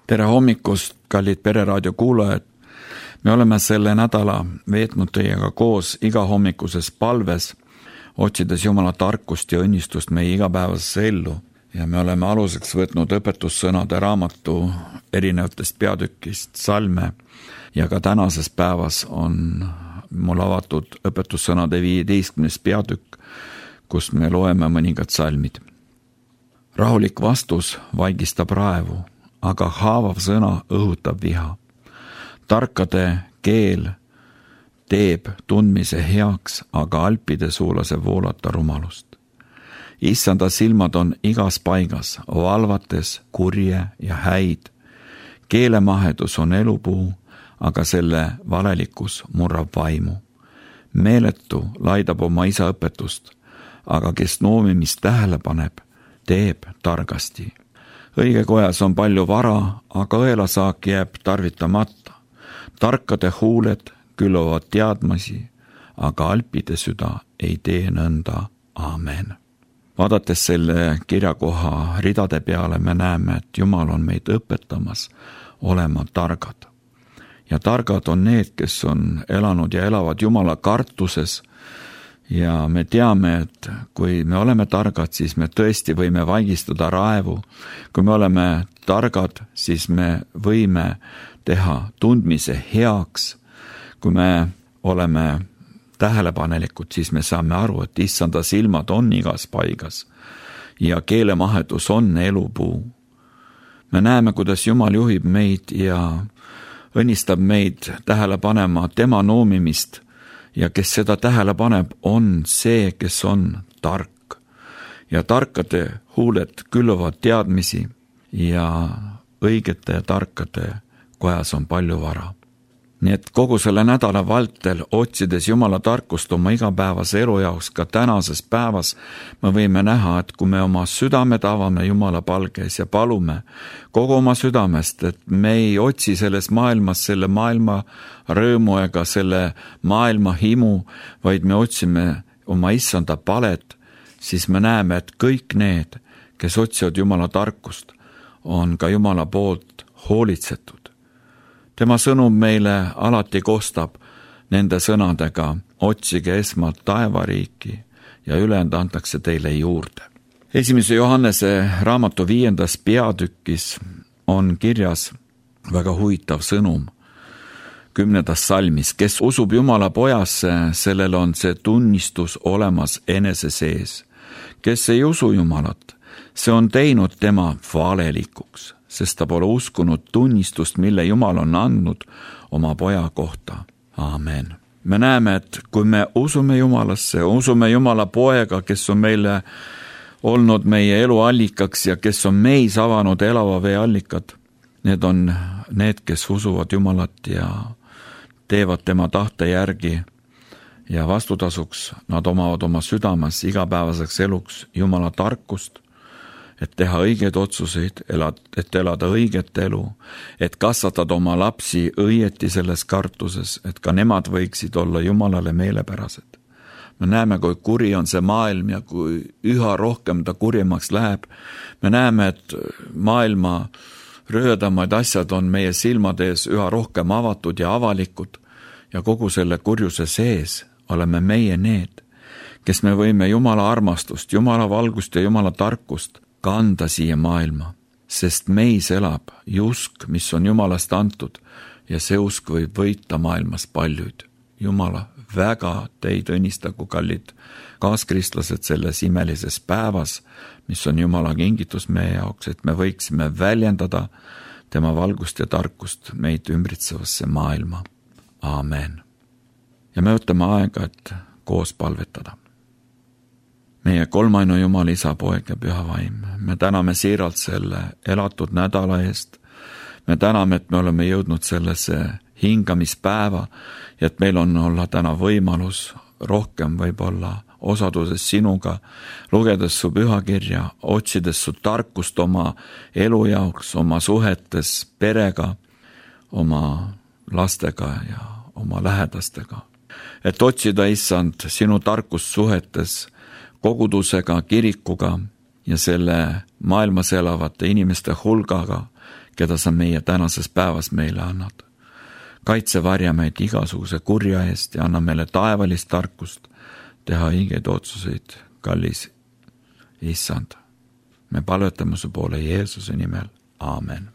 Tere hommikust, kallid Pereraadio kuulajad! Me oleme selle nädala veetnud teiega koos igahommikuses palves, otsides Jumala tarkust ja õnnistust meie igapäevasesse ellu. Ja me oleme aluseks võtnud õpetussõnade raamatu erinevatest peatükist salme ja ka tänases päevas on mul avatud õpetussõnade 15. peatükk, kus me loeme mõningad salmid. Rahulik vastus vaigistab raevu, aga haavav sõna õhutab viha. Tarkade keel teeb tundmise heaks, aga alpide suu laseb voolata rumalust. Issanda silmad on igas paigas, valvates kurje ja häid. Keelemahedus on elupuu, aga selle valelikkus murrab vaimu. Meeletu laidab oma isa õpetust, aga kes noomimist tähele paneb, teeb targasti. Õige kojas on palju vara, aga õelasaak jääb tarvitamata. Tarkade huuled külluvad teadmisi, aga alpide süda ei tee nõnda. Aamen. Vaadates selle kirjakoha ridade peale, me näeme, et Jumal on meid õpetamas olema targad. Ja targad on need, kes on elanud ja elavad Jumala kartuses. Ja me teame, et kui me oleme targad, siis me tõesti võime vaigistada raevu. Kui me oleme targad, siis me võime teha tundmise heaks. Kui me oleme tähelepanelikud, siis me saame aru, et Issanda silmad on igas paigas ja keelemahedus on elupuu. Me näeme, kuidas Jumal juhib meid ja õnnistab meid tähele panema tema noomimist. Ja kes seda tähele paneb, on see, kes on tark. Ja tarkade huuled külluvad teadmisi ja õigete ja tarkade kojas on palju vara. Nii et kogu selle nädala vältel, otsides Jumala tarkust oma igapäevase elu jaoks, ka tänases päevas, me võime näha, et kui me oma südamed avame Jumala palges ja palume kogu oma südamest, et me ei otsi selles maailmas selle maailma rõõmu ega selle maailma himu, vaid me otsime oma Issanda palet, siis me näeme, et kõik need, kes otsivad Jumala tarkust, on ka Jumala poolt hoolitsetud. Tema sõnum meile alati kostab nende sõnadega, otsige esmalt taevariiki ja ülejäänud antakse teile juurde. 1. Johannese raamatu 5. peatükis on kirjas väga huvitav sõnum 10. salmis. Kes usub Jumala pojasse, sellel on see tunnistus olemas enese sees. Kes ei usu Jumalat, see on teinud tema valelikuks, sest ta pole uskunud tunnistust, mille Jumal on andnud oma poja kohta. Aamen. Me näeme, et kui me usume Jumalasse, usume Jumala poega, kes on meile olnud meie elu allikaks ja kes on meis avanud elava vee allikad, need on need, kes usuvad Jumalat ja teevad tema tahte järgi ja vastutasuks nad omavad oma südames igapäevaseks eluks Jumala tarkust, et teha õigeid otsuseid, et elada õiget elu, et kasvatada oma lapsi õieti selles kartuses, et ka nemad võiksid olla Jumalale meelepärased. Me näeme, kui kuri on see maailm ja kui üha rohkem ta kurjemaks läheb. Me näeme, et maailma röödamaid asjad on meie silmade ees üha rohkem avatud ja avalikud ja kogu selle kurjuse sees oleme meie need, kes me võime Jumala armastust, Jumala valgust ja Jumala tarkust kanda siia maailma, sest meis elab usk, mis on Jumalast antud ja see usk võib võita maailmas paljuid. Jumala väga teid õnnistagu, kallid kaaskristlased, selles imelises päevas, mis on Jumala kingitus meie jaoks, et me võiksime väljendada tema valgust ja tarkust meid ümbritsevasse maailma. Aamen. Ja me võtame aega, et koos palvetada. Meie kolmainu Jumal, Isa, Poeg ja Püha Vaim, me täname siiralt selle elatud nädala eest. Me täname, et me oleme jõudnud sellesse hingamispäeva ja et meil on olla täna võimalus rohkem võib-olla osaduses sinuga, lugedes su pühakirja, otsides su tarkust oma elu jaoks, oma suhetes perega, oma lastega ja oma lähedastega. Et otsida, Issand, sinu tarkust suhetes kogudusega, kirikuga ja selle maailmas elavate inimeste hulgaga, keda sa meie tänases päevas meile annad. Kaitse varja meid igasuguse kurja eest ja anna meile taevalist tarkust teha õigeid otsuseid, kallis Issand. Me palvetame su poole Jeesuse nimel. Aamen.